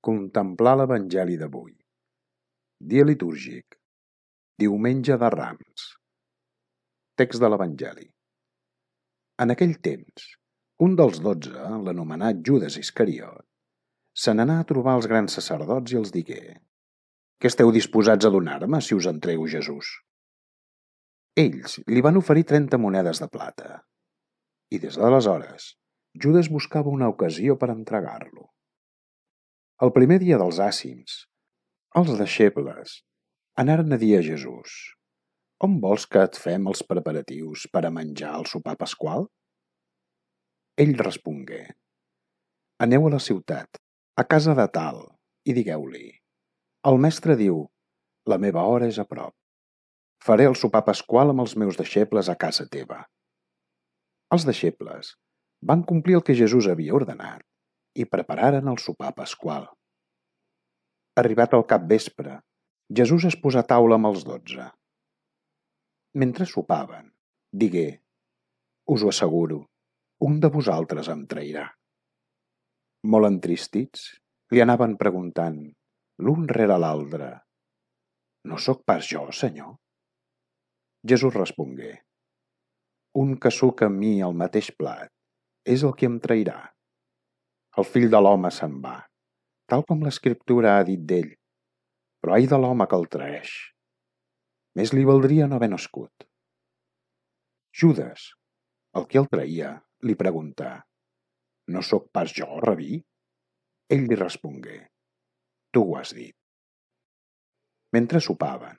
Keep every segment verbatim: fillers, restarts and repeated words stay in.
Contemplar l'Evangeli d'avui. Dia litúrgic. Diumenge de Rams. Text de l'Evangeli. En aquell temps, un dels dotze, l'anomenat Judes Iscariot, se n'anà a trobar els grans sacerdots i els digué: «Què esteu disposats a donar-me si us entrego Jesús?» Ells li van oferir trenta monedes de plata, i des d'aleshores Judes buscava una ocasió per entregar-lo. El primer dia dels àcims, els deixebles anaren a dir a Jesús: «On vols que et fem els preparatius per a menjar el sopar pasqual?» Ell respongué: «Aneu a la ciutat, a casa de tal, i digueu-li: el mestre diu, la meva hora és a prop. Faré el sopar pasqual amb els meus deixebles a casa teva». Els deixebles van complir el que Jesús havia ordenat i prepararen el sopar pasqual. Arribat al capvespre, Jesús es posà a taula amb els dotze. Mentre sopaven, digué: «Us ho asseguro, un de vosaltres em trairà». Molt entristits, li anaven preguntant, l'un rere l'altre: «No sóc pas jo, Senyor?» Jesús respongué: «Un que suca amb mi el mateix plat és el que em trairà. El fill de l'home se'n va, tal com l'Escriptura ha dit d'ell, però ai de l'home que el traeix. Més li valdria no haver nascut». Judes, el que el traïa, li preguntà: «No sóc pas jo, rabí?» Ell li respongué: «Tu ho has dit». Mentre sopaven,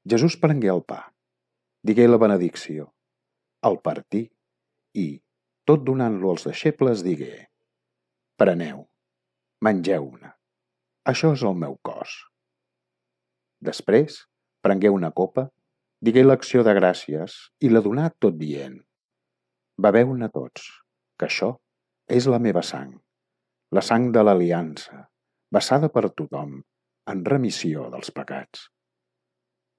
Jesús prengué el pa, digué la benedicció, el partí i, tot donant-lo als deixebles, digué: «Preneu, mengeu-ne, això és el meu cos». Després prengué una copa, digué l'acció de gràcies i la donà tot dient: «Beveu-ne tots, que això és la meva sang, la sang de l'aliança, vessada per tothom en remissió dels pecats.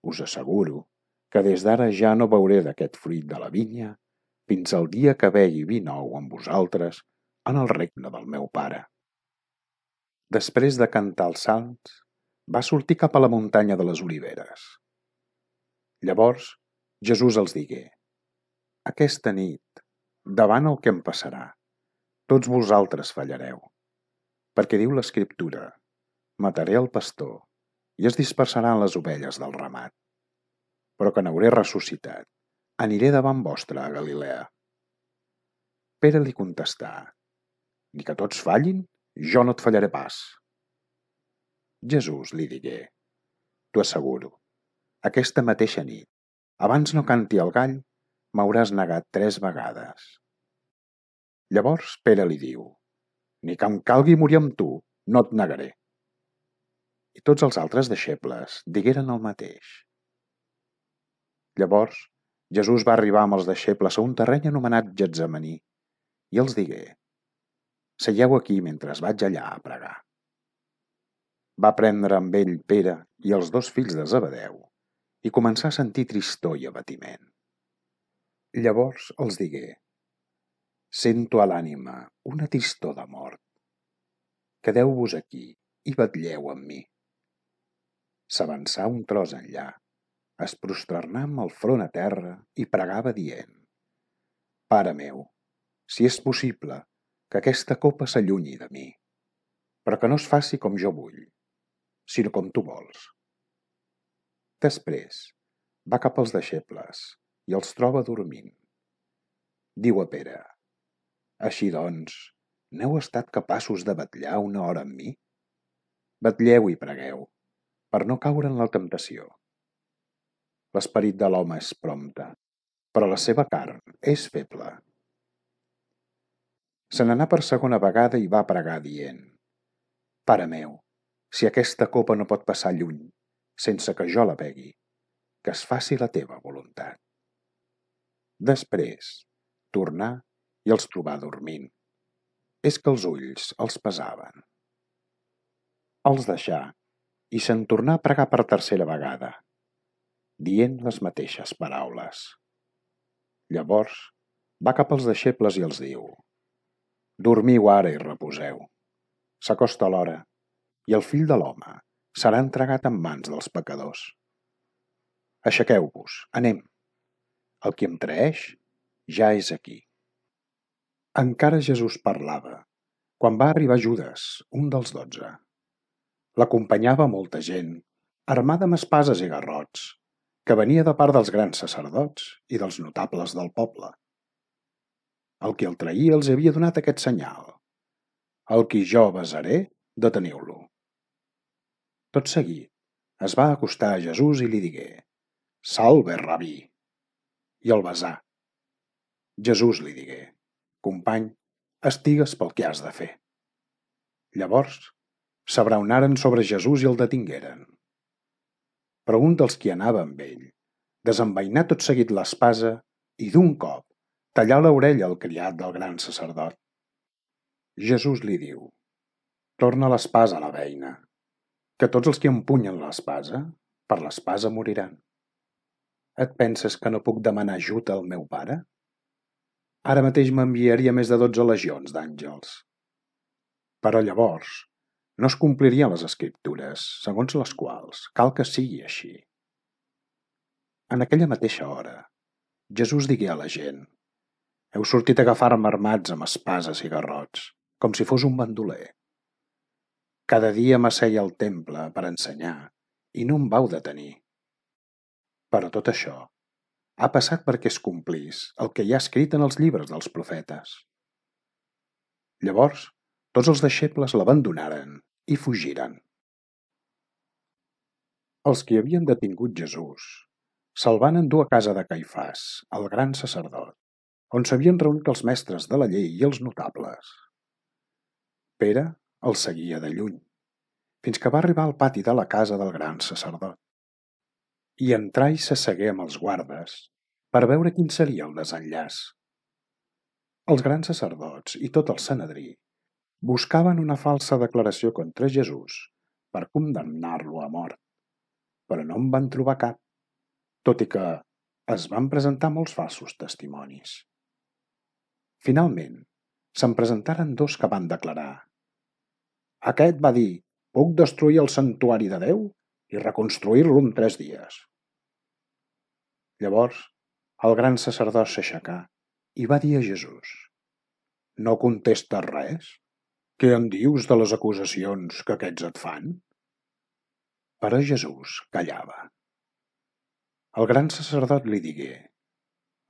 Us asseguro que des d'ara ja no beuré d'aquest fruit de la vinya fins al dia que begui vi nou amb vosaltres en el regne del meu Pare». Després de cantar els salms, va sortir cap a la muntanya de les Oliveres. Llavors Jesús els digué: «Aquesta nit, davant el que em passarà, tots vosaltres fallareu, perquè diu l'Escriptura: mataré el pastor i es dispersaran les ovelles del ramat. Però que n'hauré ressuscitat, aniré davant vostre a Galilea». Pere li contestà: «Ni que tots fallin, jo no et fallaré pas». Jesús li digué: «T'ho asseguro, aquesta mateixa nit, abans no canti el gall, m'hauràs negat tres vegades». Llavors Pere li diu: «Ni que em calgui morir amb tu, no et negaré». I tots els altres deixebles digueren el mateix. Llavors Jesús va arribar amb els deixebles a un terreny anomenat Getsemaní i els digué: «Seieu aquí mentre vaig allà a pregar». Va prendre amb ell Pere i els dos fills de Zebedeu i començà a sentir tristor i abatiment. Llavors els digué: «Sento a l'ànima una tristor de mort. Quedeu-vos aquí i vetlleu amb mi». S'avançà un tros enllà, es prosternà amb el front a terra i pregava dient: «Pare meu, si és possible, que aquesta copa s'allunyi de mi, però que no es faci com jo vull, sinó com tu vols». Després va cap als deixebles i els troba dormint. Diu a Pere: «Així doncs, n'heu estat capaços de vetllar una hora amb mi? Vetlleu i pregueu, per no caure en la temptació. L'esperit de l'home és prompte, però la seva carn és feble». Se n'anà per segona vegada i va pregar dient: «Pare meu, si aquesta copa no pot passar lluny, sense que jo la begui, que es faci la teva voluntat». Després tornà i els trobà dormint. És que els ulls els pesaven. Els deixà i se'n tornà a pregar per tercera vegada, dient les mateixes paraules. Llavors va cap als deixebles i els diu: «Dormiu ara i reposeu. S'acosta l'hora i el Fill de l'Home serà entregat en mans dels pecadors. Aixequeu-vos, anem. El qui em traeix ja és aquí. Encara Jesús parlava, quan va arribar Judes, un dels dotze. L'acompanyava molta gent, armada amb espases i garrots, que venia de part dels grans sacerdots i dels notables del poble. El qui el traïa els havia donat aquest senyal: el qui jo besaré, deteniu-lo. Tot seguit es va acostar a Jesús i li digué: Salve, rabí! I el besà. Jesús li digué: Company, estigues pel que has de fer. Llavors s'abraonaren sobre Jesús i el detingueren. Però un dels qui anava amb ell desenvainà tot seguit l'espasa i d'un cop tallà l'orella al criat del gran sacerdot. Jesús li diu: Torna l'espasa a la beina, que tots els que empunyen l'espasa, per l'espasa moriran. Et penses que no puc demanar ajut al meu pare? Ara mateix m'enviaria més de dotze legions d'àngels. Però llavors no es complirien les escriptures, segons les quals cal que sigui així. En aquella mateixa hora, Jesús digué a la gent: Heu sortit a agafar-me armats amb espases i garrots, com si fos un bandoler. Cada dia m'asseia al temple per ensenyar i no em vau detenir. Però tot això ha passat perquè es complís el que hi ha escrit en els llibres dels profetes. Llavors, tots els deixebles l'abandonaren i fugiren. Els qui havien detingut Jesús se'l van endur a casa de Caifàs, el gran sacerdot, on s'havien reunit els mestres de la llei i els notables. Pere el seguia de lluny, fins que va arribar al pati de la casa del gran sacerdot. I entrà i s'assegué amb els guardes per veure quin seria el desenllaç. Els grans sacerdots i tot el Sanedrí buscaven una falsa declaració contra Jesús per condemnar-lo a mort, però no en van trobar cap, tot i que es van presentar molts falsos testimonis. Finalment, se'n presentaren dos que van declarar: Aquest va dir: puc destruir el santuari de Déu i reconstruir-lo en tres dies. Llavors, el gran sacerdot s'aixecà i va dir a Jesús: No contestes res? Què en dius de les acusacions que aquests et fan? Però Jesús callava. El gran sacerdot li digué: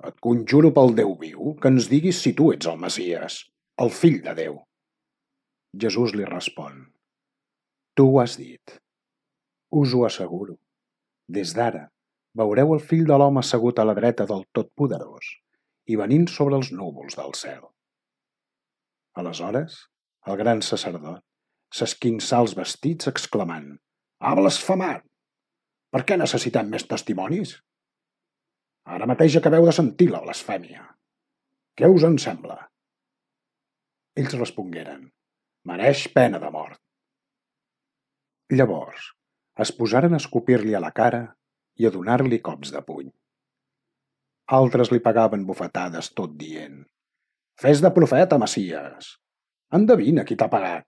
Et conjuro pel Déu viu que ens diguis si tu ets el Messies, el fill de Déu. Jesús li respon: Tu ho has dit. Us ho asseguro. Des d'ara veureu el fill de l'home assegut a la dreta del Totpoderós i venint sobre els núvols del cel. Aleshores, el gran sacerdot s'esquinçà els vestits exclamant: Ha blasfemat! Per què necessitem més testimonis? Ara mateix acabeu de sentir la blasfèmia. Què us en sembla? Ells respongueren: Mereix pena de mort. Llavors es posaren a escopir-li a la cara i a donar-li cops de puny. Altres li pagaven bufetades tot dient: Fes de profeta, Messies! Endevina qui t'ha pagat.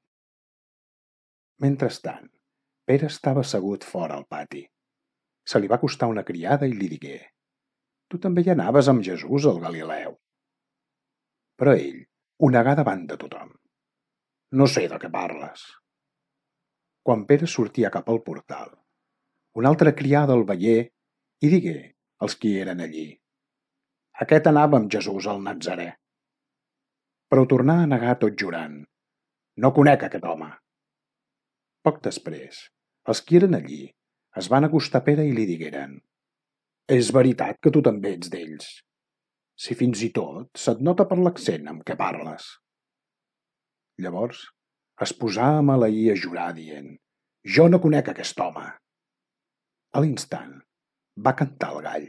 Mentrestant, Pere estava assegut fora al pati. Se li va acostar una criada i li digué: Tu també hi anaves amb Jesús al Galileu. Però ell ho negà davant de tothom. No sé de què parles. Quan Pere sortia cap al portal, una altra criada el veié i digué als qui eren allí: Aquest anava amb Jesús al Natzarè. Però ho tornà a negar tot jurant: No conec aquest home. Poc després, els qui eren allí es van acostar a Pere i li digueren: És veritat que tu també ets d'ells, si fins i tot se't nota per l'accent amb què parles. Llavors es posà a maleir i a jurar dient: Jo no conec aquest home. A l'instant va cantar el gall.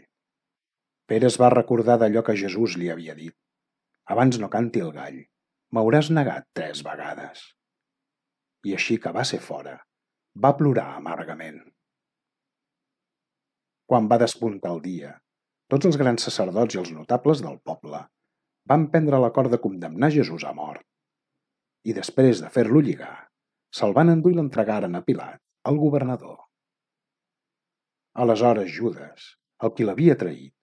Pere es va recordar d'allò que Jesús li havia dit: Abans no canti el gall, m'hauràs negat tres vegades. I així que va ser fora, va plorar amargament. Quan va despuntar el dia, tots els grans sacerdots i els notables del poble van prendre l'acord de condemnar Jesús a mort. I després de fer-lo lligar, se'l van endur i l'entregaren a Pilat, el governador. Aleshores Judes, el qui l'havia traït,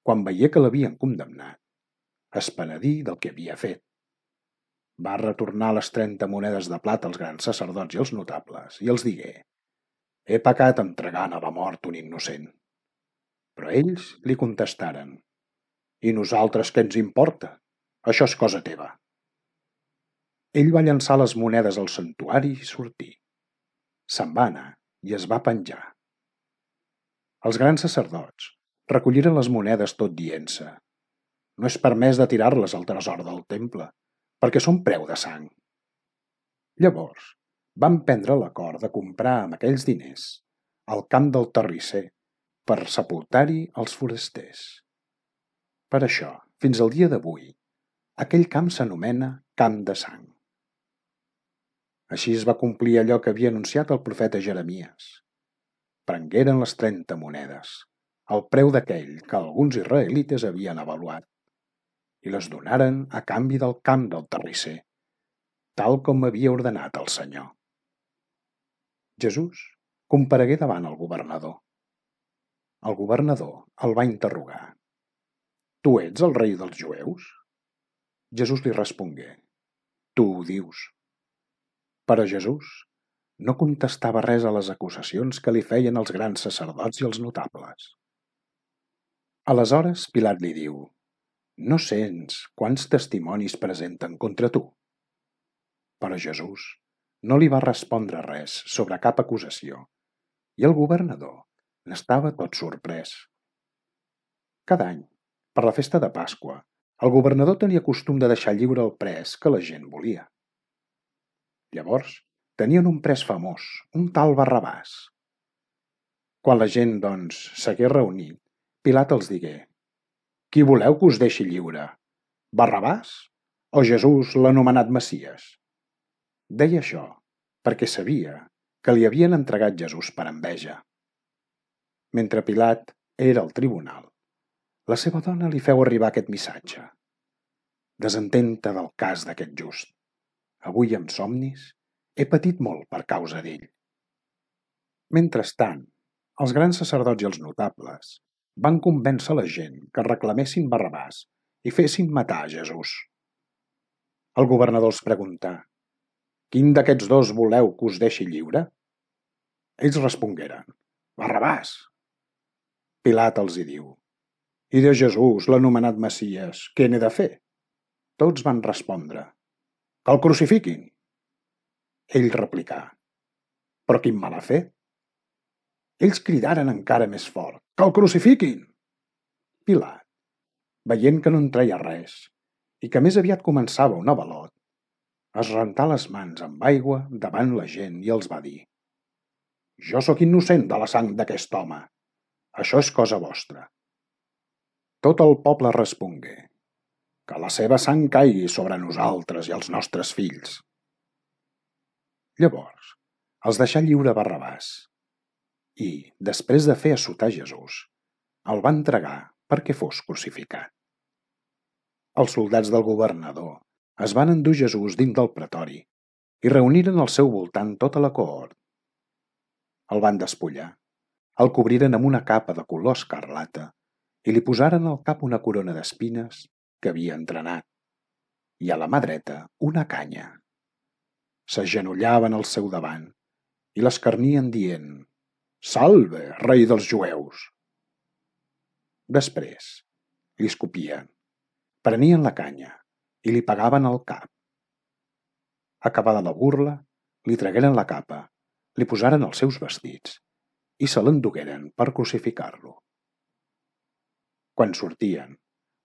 quan veié que l'havien condemnat, es penedí del que havia fet. Va retornar les trenta monedes de plata als grans sacerdots i als notables i els digué: «He pecat entregant a la mort un innocent». Però ells li contestaren: «I nosaltres què ens importa? Això és cosa teva». Ell va llançar les monedes al santuari i sortí. Se'n va anar i es va penjar. Els grans sacerdots recolliren les monedes tot dient-se: «No és permès de tirar-les al tresor del temple, perquè són preu de sang». Llavors van prendre l'acord de comprar amb aquells diners el camp del terrisser per sepultar-hi els forasters. Per això, fins al dia d'avui, aquell camp s'anomena Camp de Sang. Així es va complir allò que havia anunciat el profeta Jeremies. Prengueren les trenta monedes, el preu d'aquell que alguns israelites havien avaluat, i les donaren a canvi del camp del terrisser, tal com havia ordenat el Senyor. Jesús comparegué davant el governador. El governador el va interrogar: «Tu ets el rei dels jueus?» Jesús li respongué: «Tu ho dius». Però Jesús no contestava res a les acusacions que li feien els grans sacerdots i els notables. Aleshores Pilat li diu: «No sents quants testimonis presenten contra tu?» Però Jesús no li va respondre res sobre cap acusació, i el governador n'estava tot sorprès. Cada any, per la festa de Pasqua, el governador tenia costum de deixar lliure el pres que la gent volia. Llavors, tenien un pres famós, un tal Barrabàs. Quan la gent, doncs, s'hagué reunit, Pilat els digué: «Qui voleu que us deixi lliure? Barrabàs o Jesús, l'anomenat Messies?» Deia això perquè sabia que li havien entregat Jesús per enveja. Mentre Pilat era al tribunal, la seva dona li feu arribar aquest missatge: «Desentén-te del cas d'aquest just. Avui amb somnis he patit molt per causa d'ell». Mentrestant, els grans sacerdots i els notables van convèncer la gent que reclamessin Barrabàs i fessin matar a Jesús. El governador els preguntà: «Quin d'aquests dos voleu que us deixi lliure?» Ells respongueren: «Barrabàs». Pilat els hi diu: «I de Jesús, l'anomenat Messies, què n'he de fer?» Tots van respondre: «Que el crucifiquin». Ell replicà: «Però quin mal ha fet?» Ells cridaren encara més fort: «Que el crucifiquin!» Pilat, veient que no en treia res i que més aviat començava un avalot, es rentà les mans amb aigua davant la gent i els va dir: «Jo sóc innocent de la sang d'aquest home. Això és cosa vostra». Tot el poble respongué: «Que la seva sang caigui sobre nosaltres i els nostres fills». Llavors els deixà lliure Barrabàs i, després de fer assotar Jesús, el va entregar perquè fos crucificat. Els soldats del governador es van endur Jesús dins del pretori i reuniren al seu voltant tota la cohort. El van despullar, el cobriren amb una capa de color escarlata i li posaren al cap una corona d'espines que havia entrenat, i a la mà dreta una canya. S'agenollaven al seu davant i l'escarnien dient: «Salve, rei dels jueus!» Després li escopien, prenien la canya i li pegaven al cap. Acabada la burla, li tragueren la capa, li posaren els seus vestits i se l'endugueren per crucificar-lo. Quan sortien,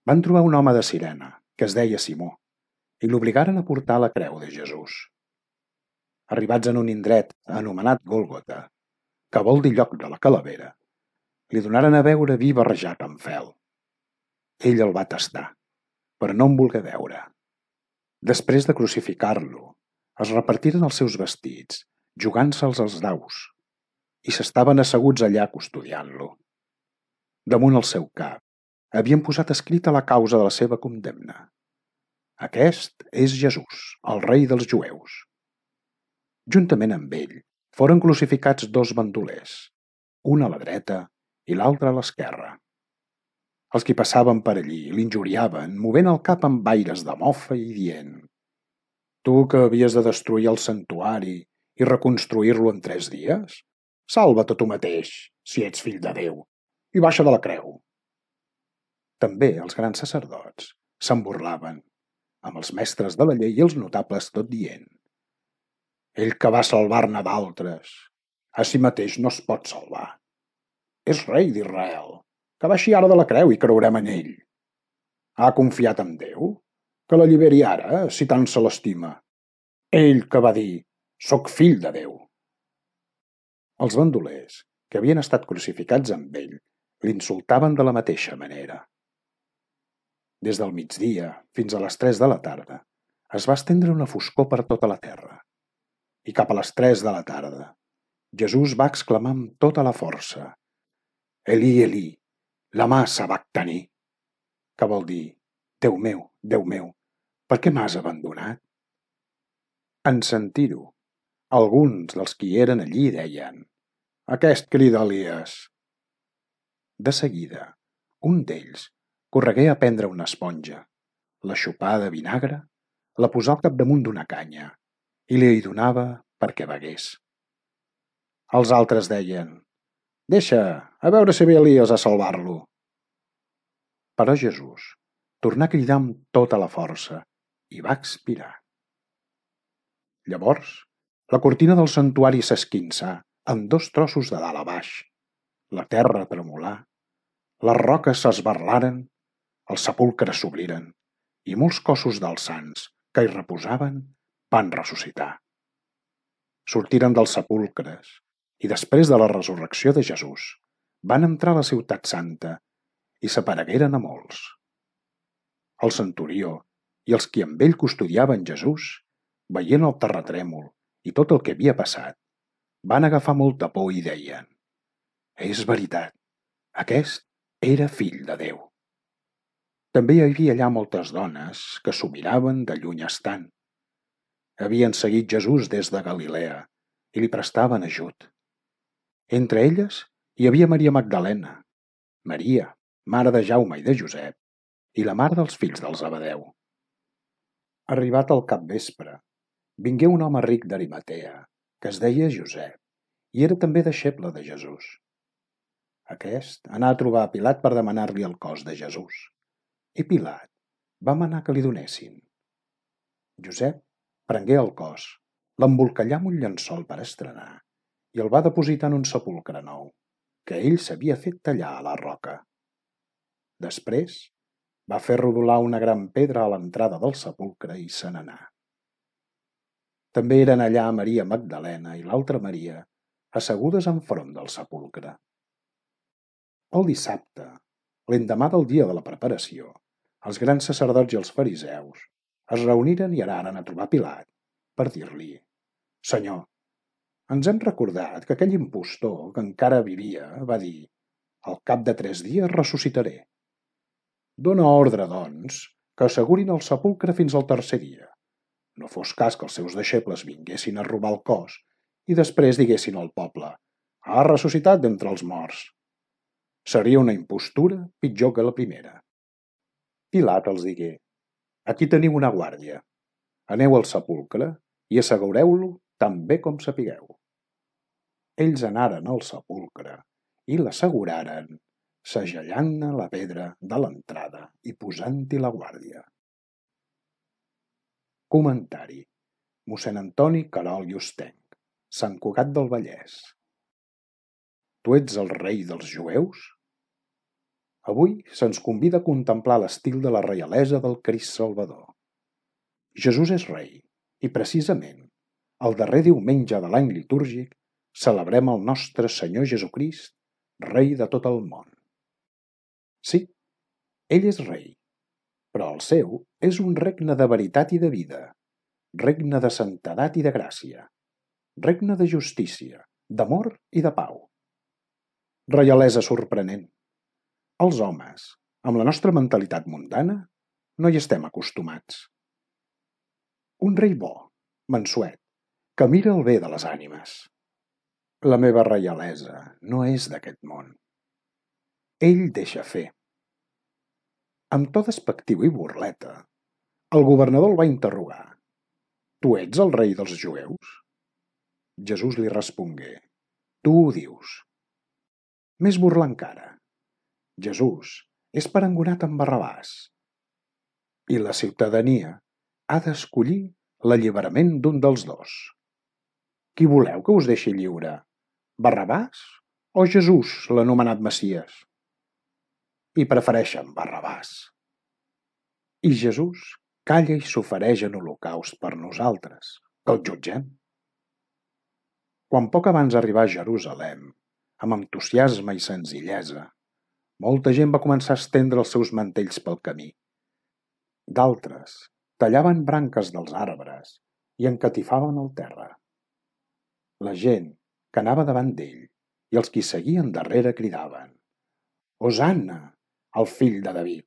van trobar un home de Cirene, que es deia Simó, i l'obligaren a portar la creu de Jesús. Arribats en un indret anomenat Gòlgota, que vol dir lloc de la calavera, li donaren a beure vi barrejat amb fel. Ell el va tastar, però no en volgué beure. Després de crucificar-lo, es repartiren els seus vestits, jugant-se'ls als daus, i s'estaven asseguts allà custodiant-lo. Damunt el seu cap havien posat escrita la causa de la seva condemna: «Aquest és Jesús, el rei dels jueus». Juntament amb ell foren crucificats dos bandolers, un a la dreta i l'altre a l'esquerra. Els qui passaven per allí l'injuriaven, movent el cap amb aires de mofa i dient: «Tu que havies de destruir el santuari i reconstruir-lo en tres dies? Salva't a tu mateix, si ets fill de Déu, i baixa de la creu!» També els grans sacerdots se'n burlaven, amb els mestres de la llei i els notables tot dient: «Ell que va salvar-ne d'altres, a si mateix no es pot salvar. És rei d'Israel, que baixi ara de la creu i creurem en ell. Ha confiat en Déu? Que l'alliberi ara, si tant se l'estima. Ell que va dir: soc fill de Déu». Els bandolers, que havien estat crucificats amb ell, l'insultaven de la mateixa manera. Des del migdia fins a les tres de la tarda es va estendre una foscor per tota la terra. I cap a les tres de la tarda, Jesús va exclamar amb tota la força: «Elí, Elí, lama sabactani», que vol dir: «Déu meu, Déu meu, per què m'has abandonat?» En sentir-ho, alguns dels qui eren allí deien: «Aquest crida Elies». De seguida, un d'ells corregué a prendre una esponja, la xopà de vinagre, la posà al capdamunt d'una canya i li hi donava perquè begués. Els altres deien: «Deixa, a veure si ve Elies a salvar-lo». Però Jesús tornà a cridar amb tota la força i va expirar. Llavors, la cortina del santuari s'esquinçà en dos trossos de dalt a baix, la terra tremolà, les roques s'esberlaren, els sepulcres s'obriren i molts cossos dels sants que hi reposaven van ressuscitar. Sortiren dels sepulcres i després de la resurrecció de Jesús van entrar a la ciutat santa i s'aparegueren a molts. El centurió i els qui amb ell custodiaven Jesús, veient el terratrèmol i tot el que havia passat, van agafar molta por i deien: «És veritat, aquest era fill de Déu». També hi havia allà moltes dones que s'ho miraven de lluny estant. Havien seguit Jesús des de Galilea i li prestaven ajut. Entre elles hi havia Maria Magdalena, Maria, mare de Jaume i de Josep, i la mare dels fills del Zebedeu. Arribat al capvespre, vingué un home ric d'Arimatea, que es deia Josep, i era també deixeble de Jesús. Aquest anà a trobar a Pilat per demanar-li el cos de Jesús, i Pilat va manar que li donessin. Josep prengué el cos, l'embolcallà amb un llençol per estrenar i el va depositar en un sepulcre nou, que ell s'havia fet tallar a la roca. Després va fer rodolar una gran pedra a l'entrada del sepulcre i se n'anà. També eren allà Maria Magdalena i l'altra Maria, assegudes enfront del sepulcre. El dissabte, l'endemà del dia de la preparació, els grans sacerdots i els fariseus es reuniren i anaren a trobar Pilat per dir-li: «Senyor, ens hem recordat que aquell impostor que encara vivia va dir: al cap de tres dies ressuscitaré. Dóna ordre, doncs, que assegurin el sepulcre fins al tercer dia. No fos cas que els seus deixebles vinguessin a robar el cos i després diguessin al poble: ha ressuscitat d'entre els morts. Seria una impostura pitjor que la primera». Pilat els digué: «Aquí teniu una guàrdia. Aneu al sepulcre i assegureu-lo tan bé com sapigueu». Ells anaren al sepulcre i l'asseguraren, segellant-ne la pedra de l'entrada i posant-hi la guàrdia. Comentari: mossèn Antoni Querol i Hostench, Sant Cugat del Vallès. Tu ets el rei dels jueus? Avui se'ns convida a contemplar l'estil de la reialesa del Crist Salvador. Jesús és rei i, precisament, el darrer diumenge de l'any litúrgic celebrem el nostre Senyor Jesucrist, rei de tot el món. Sí, ell és rei, però el seu és un regne de veritat i de vida, regne de santedat i de gràcia, regne de justícia, d'amor i de pau. Reialesa sorprenent. Els homes, amb la nostra mentalitat mundana, no hi estem acostumats. Un rei bo, mansuet, que mira el bé de les ànimes. La meva reialesa no és d'aquest món. Ell deixa fer. Amb to despectiu i burleta, el governador el va interrogar. Tu ets el rei dels jueus? Jesús li respongué, tu ho dius. Més burla encara. Jesús és perangonat amb Barrabàs. I la ciutadania ha d'escollir l'alliberament d'un dels dos. Qui voleu que us deixi lliure? Barrabàs o Jesús, l'anomenat Messies? I prefereixen Barrabàs. I Jesús calla i s'ofereix en holocaust per nosaltres, que el jutgem. Quan poc abans d'arribar a Jerusalem, amb entusiasme i senzillesa, molta gent va començar a estendre els seus mantells pel camí. D'altres tallaven branques dels arbres i encatifaven el terra. La gent que anava davant d'ell i els qui seguien darrere cridaven: Hosanna, al fill de David!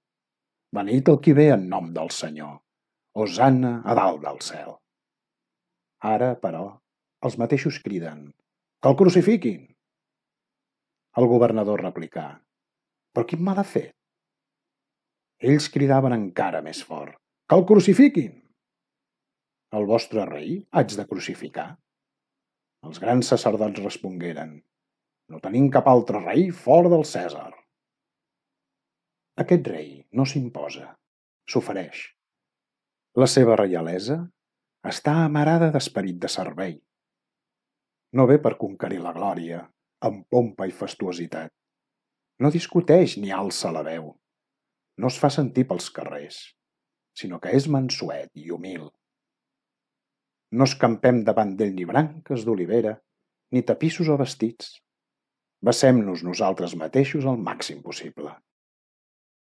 Beneit el qui ve en nom del Senyor! Hosanna a dalt del cel! Ara, però, els mateixos criden: que el crucifiquin! El governador replicà: però quin mal ha fet? Ells cridaven encara més fort: que el crucifiquin! El vostre rei haig de crucificar? Els grans sacerdots respongueren: no tenim cap altre rei fora del Cèsar. Aquest rei no s'imposa, s'ofereix. La seva reialesa està amarada d'esperit de servei. No ve per conquerir la glòria, amb pompa i fastuositat. No discuteix ni alça la veu. No es fa sentir pels carrers, sinó que és mansuet i humil. No escampem davant d'ell ni branques d'olivera, ni tapissos o vestits. Vessem-nos nosaltres mateixos al màxim possible.